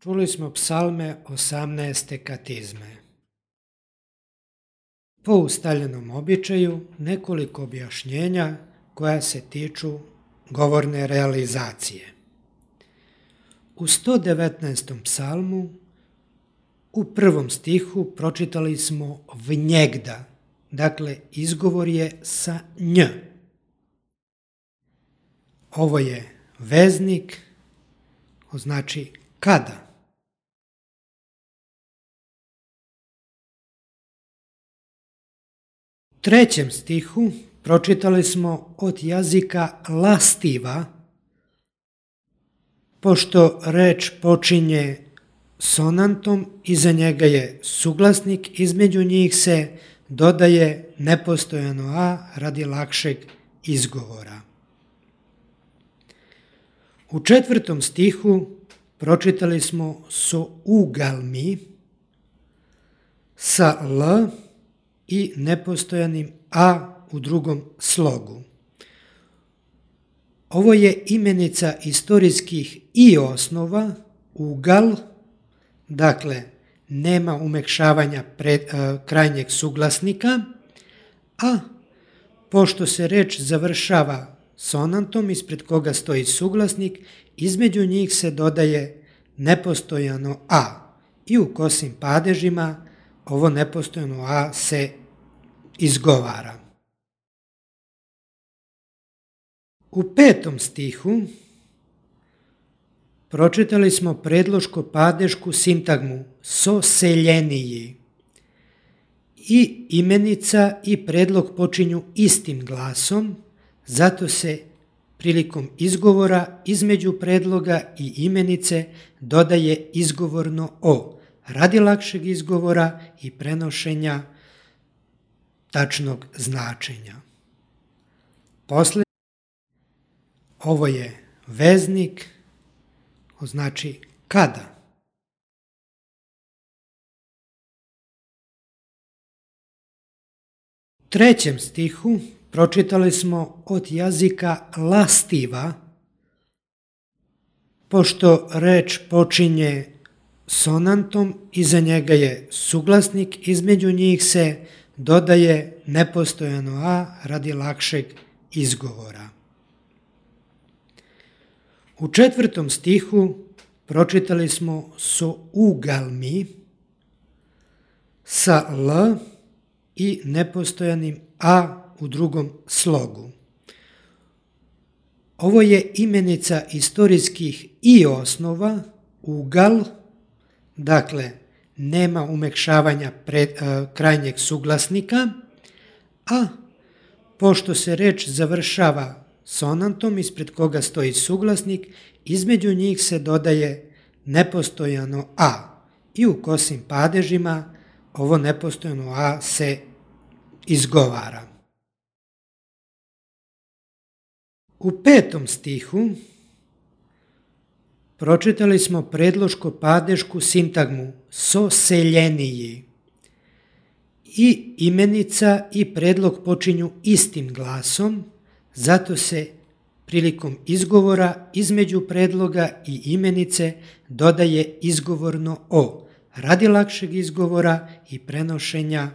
Čuli smo psalme 18. katizme. Po ustaljenom običaju nekoliko objašnjenja koja se tiču govorne realizacije. U 119. psalmu u prvom stihu pročitali smo vnjegda, dakle izgovor je sa nj. Ovo je veznik, znači kada. U trećem stihu pročitali smo od jezika lastiva, pošto reč počinje sonantom, iza njega je suglasnik, između njih se dodaje nepostojano a radi lakšeg izgovora. U četvrtom stihu pročitali smo so ugalmi sa l i nepostojanim a u drugom slogu. Ovo je imenica istorijskih i osnova, ugal, dakle nema umekšavanja krajnjeg suglasnika, a pošto se reč završava sonantom ispred koga stoji suglasnik, između njih se dodaje nepostojano a i u kosim padežima ovo nepostojano a se izgovara. U petom stihu pročitali smo predloško-padešku sintagmu so seljeniji. I imenica i predlog počinju istim glasom, zato se prilikom izgovora između predloga i imenice dodaje izgovorno o, radi lakšeg izgovora i prenošenja tačnog značenja. Ovo je veznik, znači kada. U trećem stihu pročitali smo od jezika lastiva, pošto reč počinje sonantom, iza njega je suglasnik, između njih se dodaje nepostojano a radi lakšeg izgovora. U četvrtom stihu pročitali smo so ugalmi sa l i nepostojanim a u drugom slogu. Ovo je imenica istorijskih i osnova, ugal, dakle nema umekšavanja krajnjeg suglasnika, a pošto se reč završava sonantom ispred koga stoji suglasnik, između njih se dodaje nepostojano a i u kosim padežima ovo nepostojano a se izgovara. U petom stihu pročitali smo predloško-padešku sintagmu so seljeniji. I imenica i predlog počinju istim glasom, zato se prilikom izgovora između predloga i imenice dodaje izgovorno o, radi lakšeg izgovora i prenošenja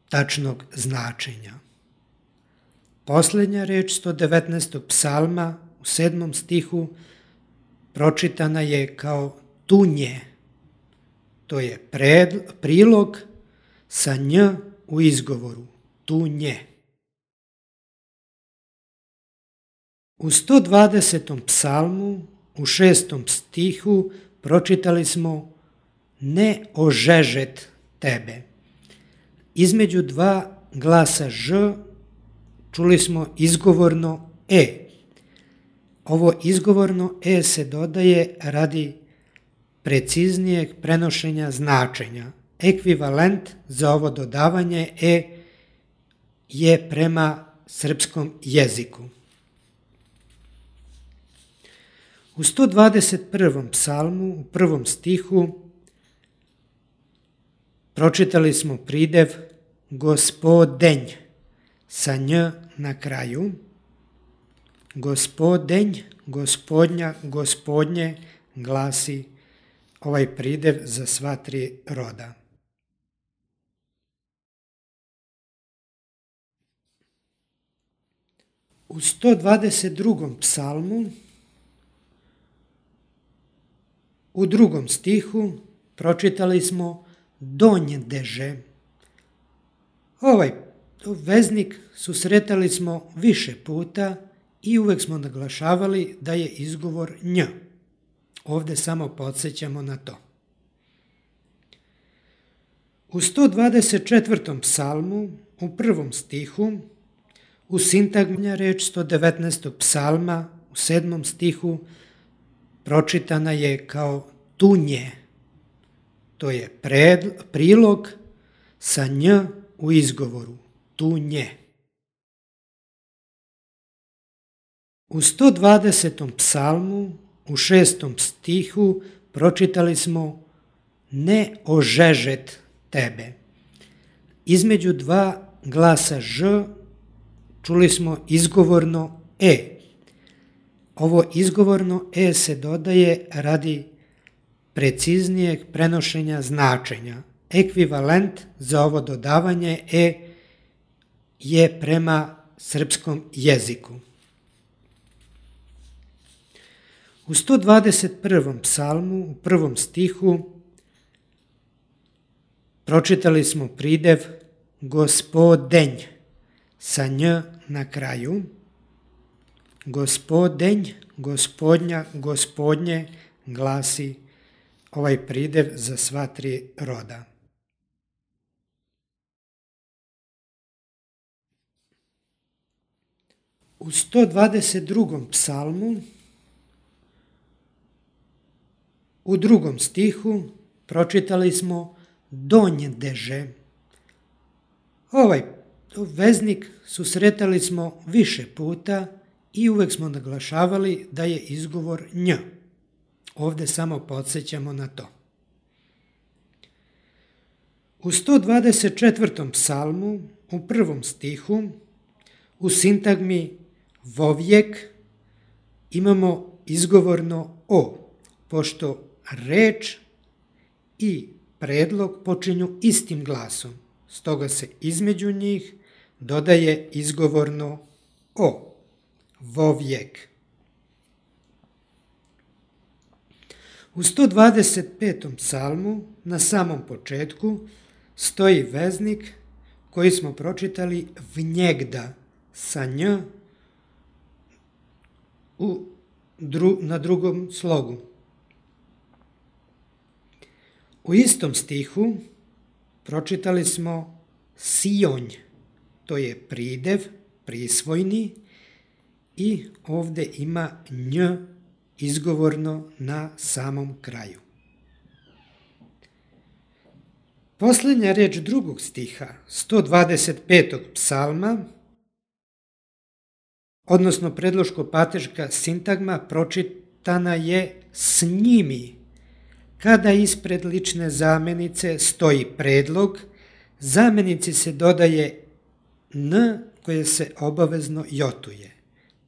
tačnog značenja. Posljednja reč 119. psalma u 7. stihu pročitana je kao tunje. To je prilog sa nj u izgovoru, tunje. U 120. psalmu u 6. stihu pročitali smo ne ožežet tebe. Između dva glasa ž čuli smo izgovorno e. Ovo izgovorno e se dodaje radi preciznijeg prenošenja značenja. Ekvivalent za ovo dodavanje e je prema srpskom jeziku. U 121. psalmu u 1. stihu pročitali smo pridev gospodenj sa nj na kraju. Gospodenj, gospodnja, gospodnje glasi ovaj pridev za sva tri roda. U 122. psalmu u 2. stihu pročitali smo donjdeže. Ovaj veznik susretali smo više puta i uvek smo naglašavali da je izgovor nj. Ovde samo podsjećamo na to. U 124. psalmu u 1. stihu u sintagmi reč 119. psalma u 7. stihu pročitana je kao tunje. To je prilog sa nj u izgovoru. Tunje. U 120. psalmu u 6. stihu pročitali smo ne ožežet tebe. Između dva glasa ž čuli smo izgovorno e. Ovo izgovorno e se dodaje radi preciznijeg prenošenja značenja. Ekvivalent za ovo dodavanje e je prema srpskom jeziku. U 121. psalmu u 1. stihu pročitali smo pridev gospodenj sa nj na kraju. Gospodenj, gospodnja, gospodnje glasi ovaj pridev za sva tri roda. U 122. psalmu u 2. stihu pročitali smo donjdeže. Ovaj veznik susretali smo više puta i uvek smo naglašavali da je izgovor nj. Ovde samo podsjećamo na to. U 124. psalmu u 1. stihu u sintagmi vovjek imamo izgovorno o, pošto reč i predlog počinju istim glasom, stoga se između njih dodaje izgovorno o, vovjek. U 125. psalmu na samom početku stoji veznik koji smo pročitali vnjegda sa nj na drugom slogu. U istom stihu pročitali smo sionj, to je pridev, prisvojni i ovde ima nj izgovorno na samom kraju. Poslednja reč 2. stiha 125. psalma, odnosno predloško-pateška sintagma pročitana je s njimi. Kada ispred lične zamenice stoji predlog, zamenici se dodaje n koje se obavezno jotuje.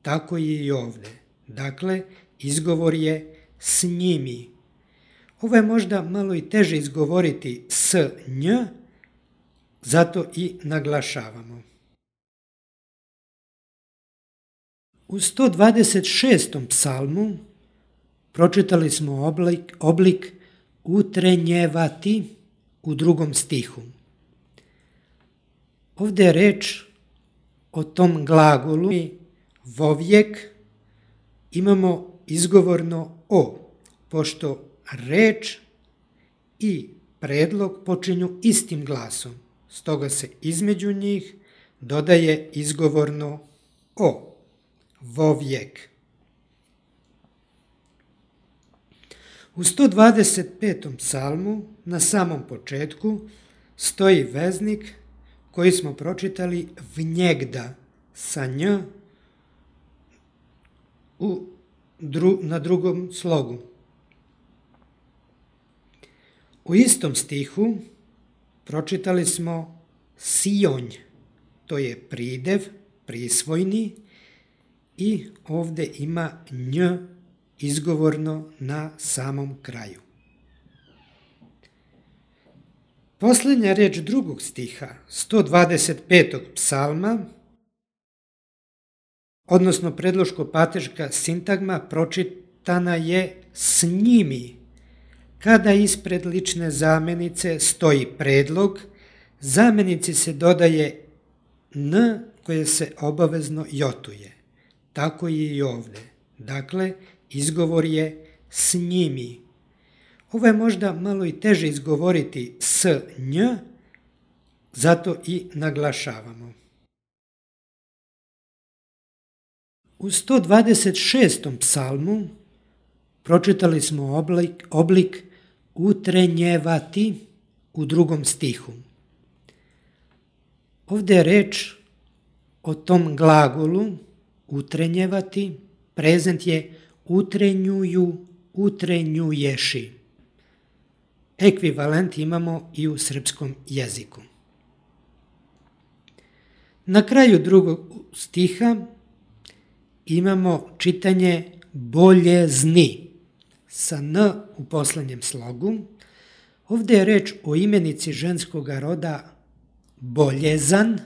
Tako je i ovde. Dakle, izgovor je s njimi. Ovo je možda malo i teže izgovoriti s nj, zato i naglašavamo. U 126. psalmu pročitali smo oblik utrenjevati u 2. stihu. Ovde je reč o tom glagolu vovjek, imamo izgovorno o, pošto reč i predlog počinju istim glasom, stoga se između njih dodaje izgovorno o, vovjek. U 125. psalmu na samom početku stoji veznik koji smo pročitali vnjegda sa nj na drugom slogu. U istom stihu pročitali smo sionj, to je pridev, prisvojni i ovde ima nj izgovorno na samom kraju. Posljednja reč drugog stiha 125. psalma, odnosno predloško-pateška sintagma pročitana je s njimi. Kada ispred lične zamjenice stoji predlog, zamjenici se dodaje n koje se obavezno jotuje. Tako je i ovdje. Dakle, izgovor je s njimi. Ovo je možda malo i teže izgovoriti s nj, zato i naglašavamo. U 126. psalmu pročitali smo oblik utrenjevati u drugom stihu. Ovdje je reč o tom glagolu utrenjevati, prezent je utrenjuju, utrenjuješi. Ekvivalent imamo i u srpskom jeziku. Na kraju drugog stiha imamo čitanje boljezni sa n u posljednjem slogu. Ovdje je reč o imenici ženskog roda boljezan,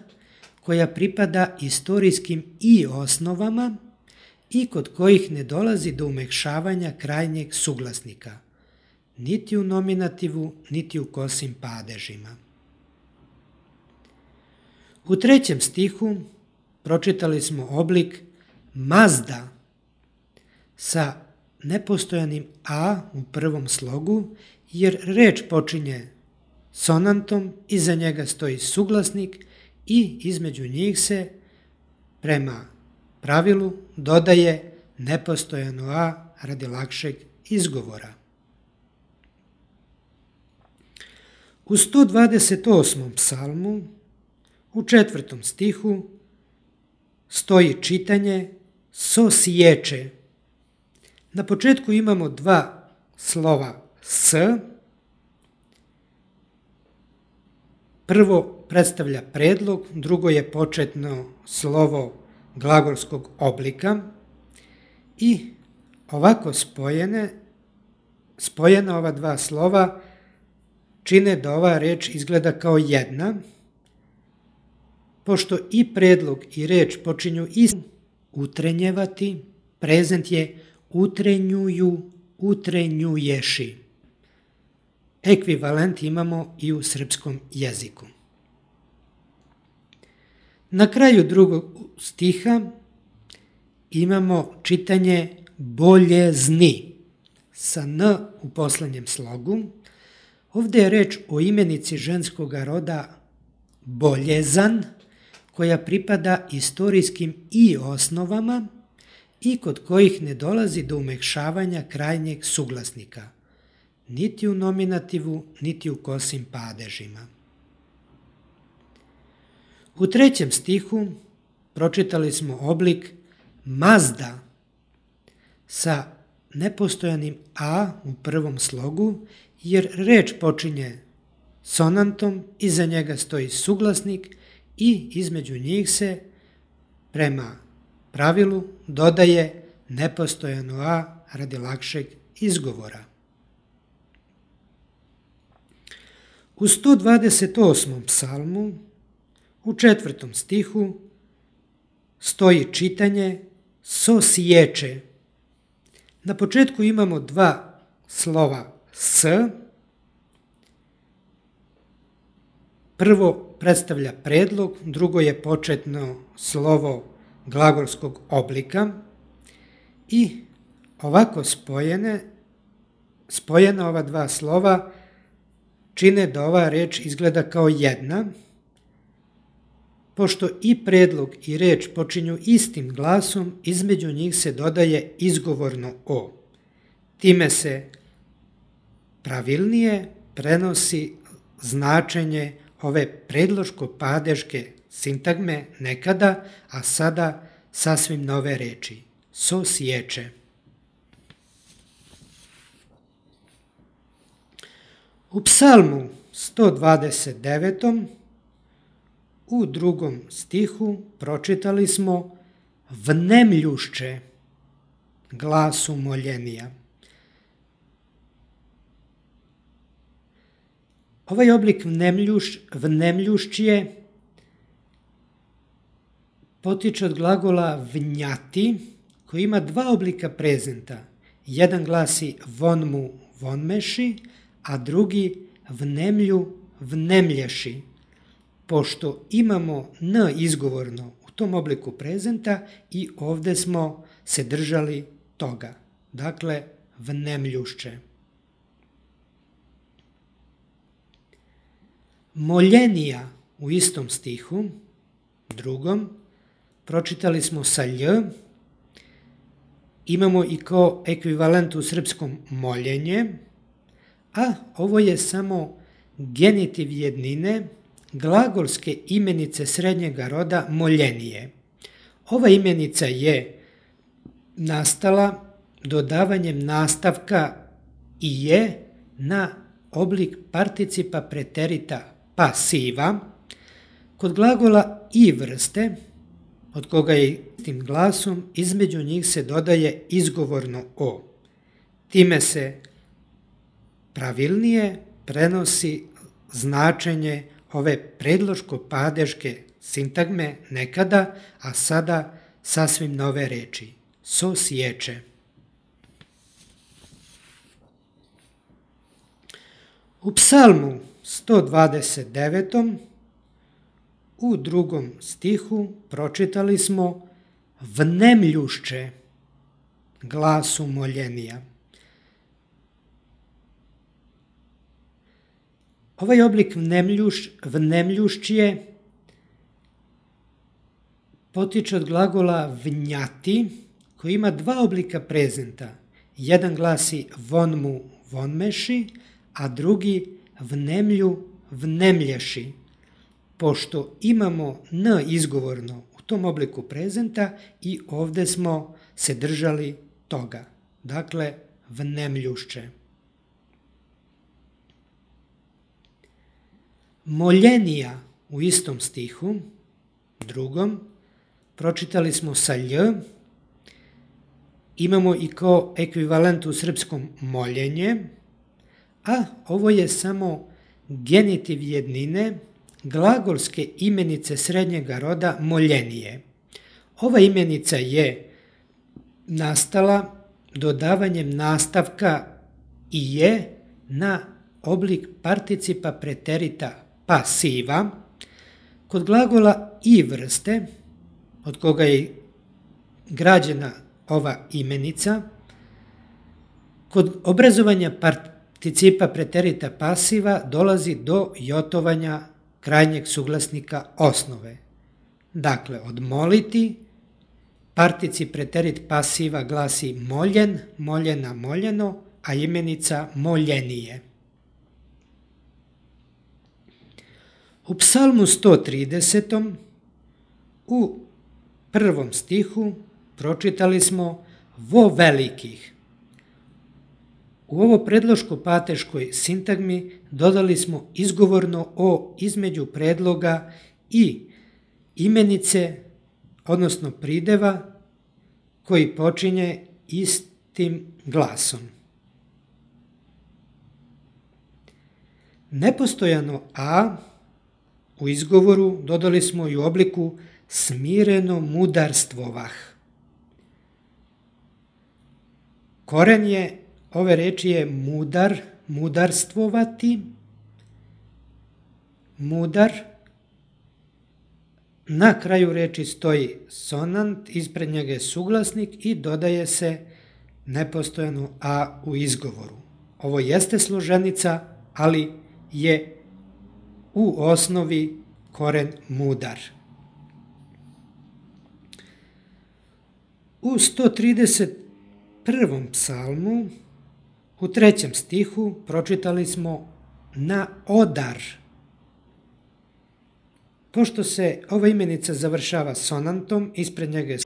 koja pripada istorijskim i osnovama i kod kojih ne dolazi do umekšavanja krajnjeg suglasnika, niti u nominativu, niti u kosim padežima. U trećem stihu pročitali smo oblik mazda sa nepostojanim a u prvom slogu, jer reč počinje sonantom, iza njega stoji suglasnik i između njih se prema pravilu dodaje nepostojano a radi lakšeg izgovora. U 128. psalmu u 4. stihu stoji čitanje sosječe. Na početku imamo dva slova s. Prvo predstavlja predlog, drugo je početno slovo glagolskog oblika i ovako spojena ova dva slova čine da ova reč izgleda kao jedna, pošto i predlog i reč počinju istim utrenjevati, prezent je utrenjuju, utrenjuješi. Ekvivalent imamo i u srpskom jeziku. Na kraju drugog stiha imamo čitanje boljezni sa n u posljednjem slogu. Ovdje je reč o imenici ženskog roda boljezan, koja pripada istorijskim i osnovama i kod kojih ne dolazi do umekšavanja krajnjeg suglasnika, niti u nominativu, niti u kosim padežima. U trećem stihu pročitali smo oblik mazda sa nepostojanim a u prvom slogu, jer reč počinje sonantom, iza njega stoji suglasnik i između njih se prema pravilu dodaje nepostojano a radi lakšeg izgovora. U 128. psalmu u 4. stihu stoji čitanje sosječe. Na početku imamo dva slova s. Prvo predstavlja predlog, drugo je početno slovo glagolskog oblika i ovako spojena ova dva slova čine da ova reč izgleda kao jedna, pošto i predlog i reč počinju istim glasom, između njih se dodaje izgovorno o. Time se pravilnije prenosi značenje ove predloško-padeške sintagme nekada, a sada sasvim nove reči. Sosječe. U psalmu 129. u 2. stihu pročitali smo vnemljušće glasu moljenija. Ovaj oblik vnemljušćije potiče od glagola vnjati, koji ima dva oblika prezenta. Jedan glasi vonmu, vonmeši, a drugi vnemlju, vnemlješi. Pošto imamo n izgovorno u tom obliku prezenta i ovdje smo se držali toga. Dakle, vnemljušće. Moljenija u istom stihu, drugom, pročitali smo sa lj, imamo i kao ekvivalent u srpskom moljenje, a ovo je samo genitiv jednine glagolske imenice srednjega roda moljenije. Ova imenica je nastala dodavanjem nastavka i je na oblik participa preterita pasiva. Kod glagola i vrste, od koga je tim glasom, između njih se dodaje izgovorno o. Time se pravilnije prenosi značenje ove predloško-padeške sintagme nekada, a sada sasvim nove reči. So sječe. U psalmu 129. u drugom stihu pročitali smo vnemljušće glasu moljenija. Ovaj oblik vnemljušćije potiče od glagola vnjati, koji ima dva oblika prezenta. Jedan glasi vonmu, vonmeši, a drugi vnemlju, vnemlješi. Pošto imamo n izgovorno u tom obliku prezenta i ovdje smo se držali toga. Dakle, vnemljušće. Moljenija u istom stihu, drugom, pročitali smo sa lj, imamo i kao ekvivalent u srpskom moljenje, a ovo je samo genitiv jednine glagolske imenice srednjega roda moljenije. Ova imenica je nastala dodavanjem nastavka i je na oblik participa preterita pasiva. Kod glagola i vrste, od koga je građena ova imenica, kod obrazovanja participa preterita pasiva dolazi do jotovanja krajnjeg suglasnika osnove. Dakle, od moliti, particip preterit pasiva glasi moljen, moljena, moljeno, a imenica moljenije. U psalmu 130. u prvom stihu pročitali smo vo velikih. U ovo predloško-pateškoj sintagmi dodali smo izgovorno o između predloga i imenice, odnosno prideva, koji počinje istim glasom. Nepostojano a u izgovoru dodali smo i u obliku smireno mudarstvovah. Koren je ove reči je mudar, mudarstvovati, mudar. Na kraju reči stoji sonant, ispred njega je suglasnik i dodaje se nepostojano a u izgovoru. Ovo jeste složenica, ali je u osnovi koren mudar. U 131. psalmu u trećem stihu pročitali smo na odar. Pošto se ova imenica završava sonantom, ispred njega je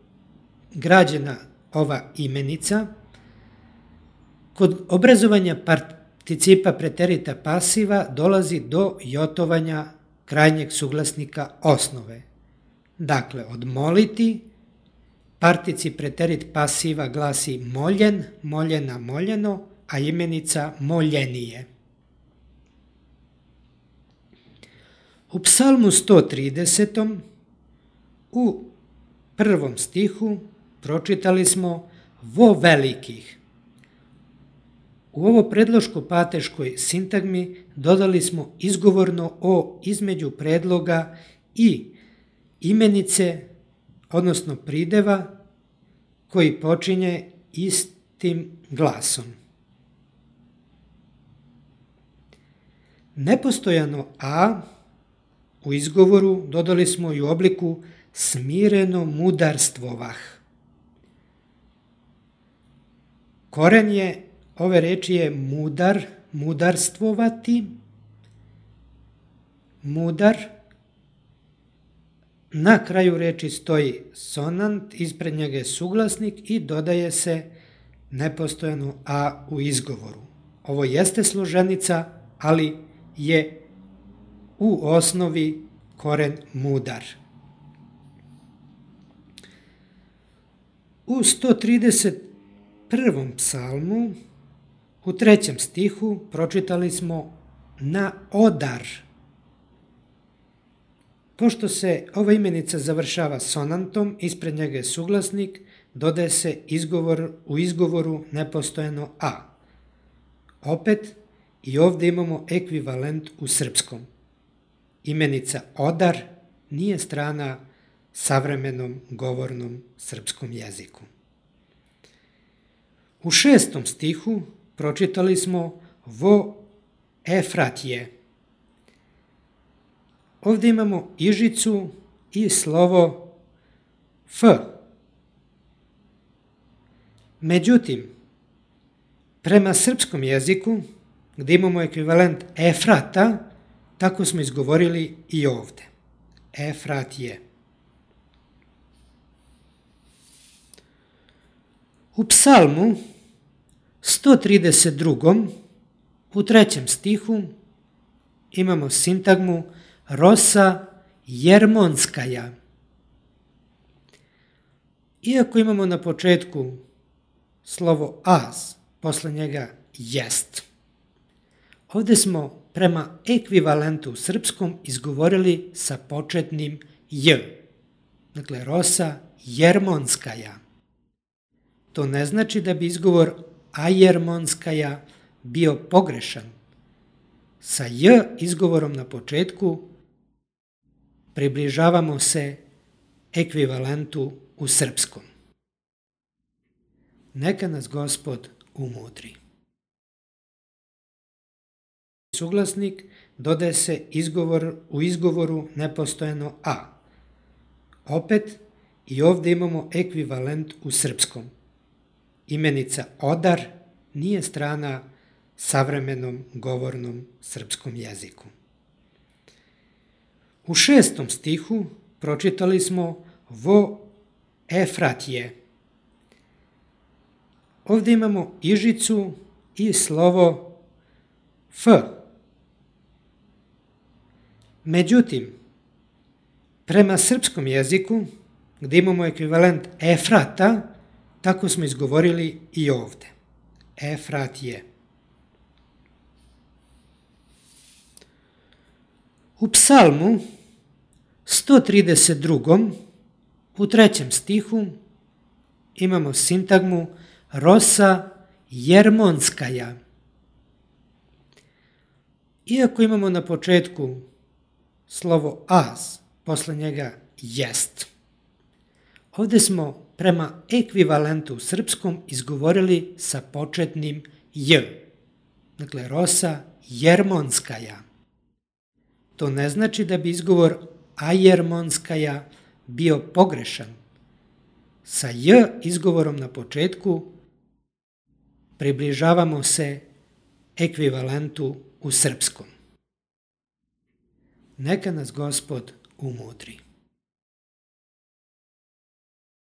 građena ova imenica, kod obrazovanja participa preterita pasiva dolazi do jotovanja krajnjeg suglasnika osnove. Dakle, od moliti, particip preterit pasiva glasi moljen, moljena, moljeno, a imenica moljenije. U psalmu 130. u 1. stihu pročitali smo vo velikih. U ovo predloško-pateškoj sintagmi dodali smo izgovorno o između predloga i imenice, odnosno prideva koji počinje istim glasom. Nepostojano a u izgovoru dodali smo i u obliku smireno mudarstvovah. Koren je ove reči je mudar, mudarstvovati, mudar. Na kraju reči stoji sonant, ispred njega je suglasnik i dodaje se nepostojano a u izgovoru. Ovo jeste složenica, ali je u osnovi koren mudar. U 131. psalmu u 3. stihu pročitali smo na odar. Pošto se ova imenica završava sonantom, ispred njega je suglasnik, dodaje se u izgovoru nepostojano a. Opet i ovdje imamo ekvivalent u srpskom. Imenica odar nije strana savremenom govornom srpskom jeziku. U 6. stihu pročitali smo vo Efratije. Ovdje imamo ižicu i slovo f. Međutim, prema srpskom jeziku, gdje imamo ekvivalent Efrata, tako smo izgovorili i ovdje. Efratije. U psalmu 132. u 3. stihu imamo sintagmu rosa jermonskaja. Iako imamo na početku slovo as, posle njega jest. Ovdje smo prema ekvivalentu u srpskom izgovorili sa početnim j. Dakle, rosa jermonskaja. To ne znači da bi izgovor ajermonskaja bio pogrešan. Sa j izgovorom na početku približavamo se ekvivalentu u srpskom. Neka nas Gospod umudri. Suglasnik dodaje se u izgovoru nepostojano a. Opet i ovdje imamo ekvivalent u srpskom. Imenica odar nije strana savremenom govornom srpskom jeziku. U 6. stihu pročitali smo vo Efratije. Ovdje imamo ižicu i slovo f. Međutim, prema srpskom jeziku, gdje imamo ekvivalent Efrata, tako smo izgovorili i ovdje. Efratije. U psalmu 132. u 3. stihu imamo sintagmu rosa jermonskaja. Iako imamo na početku slovo as, posle njega jest. Ovdje smo prema ekvivalentu u srpskom izgovorili sa početnim j. Dakle, rosa jermonskaja. To ne znači da bi izgovor ajermonskaja bio pogrešan. Sa j izgovorom na početku približavamo se ekvivalentu u srpskom. Neka nas Gospod umudri.